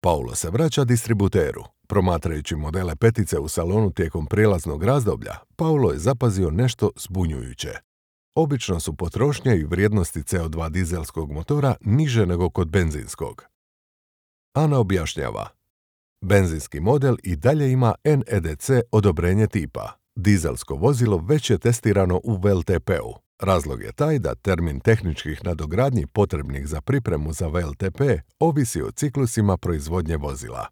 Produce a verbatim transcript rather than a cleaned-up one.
Paulo se vraća distributeru. Promatrajući modele petice u salonu tijekom prijelaznog razdoblja, Paulo je zapazio nešto zbunjujuće. Obično su potrošnje i vrijednosti C O dva dizelskog motora niže nego kod benzinskog. Ana objašnjava. Benzinski model i dalje ima N E D C odobrenje tipa. Dizelsko vozilo već je testirano u V L T P-u. Razlog je taj da termin tehničkih nadogradnji potrebnih za pripremu za V L T P ovisi o ciklusima proizvodnje vozila.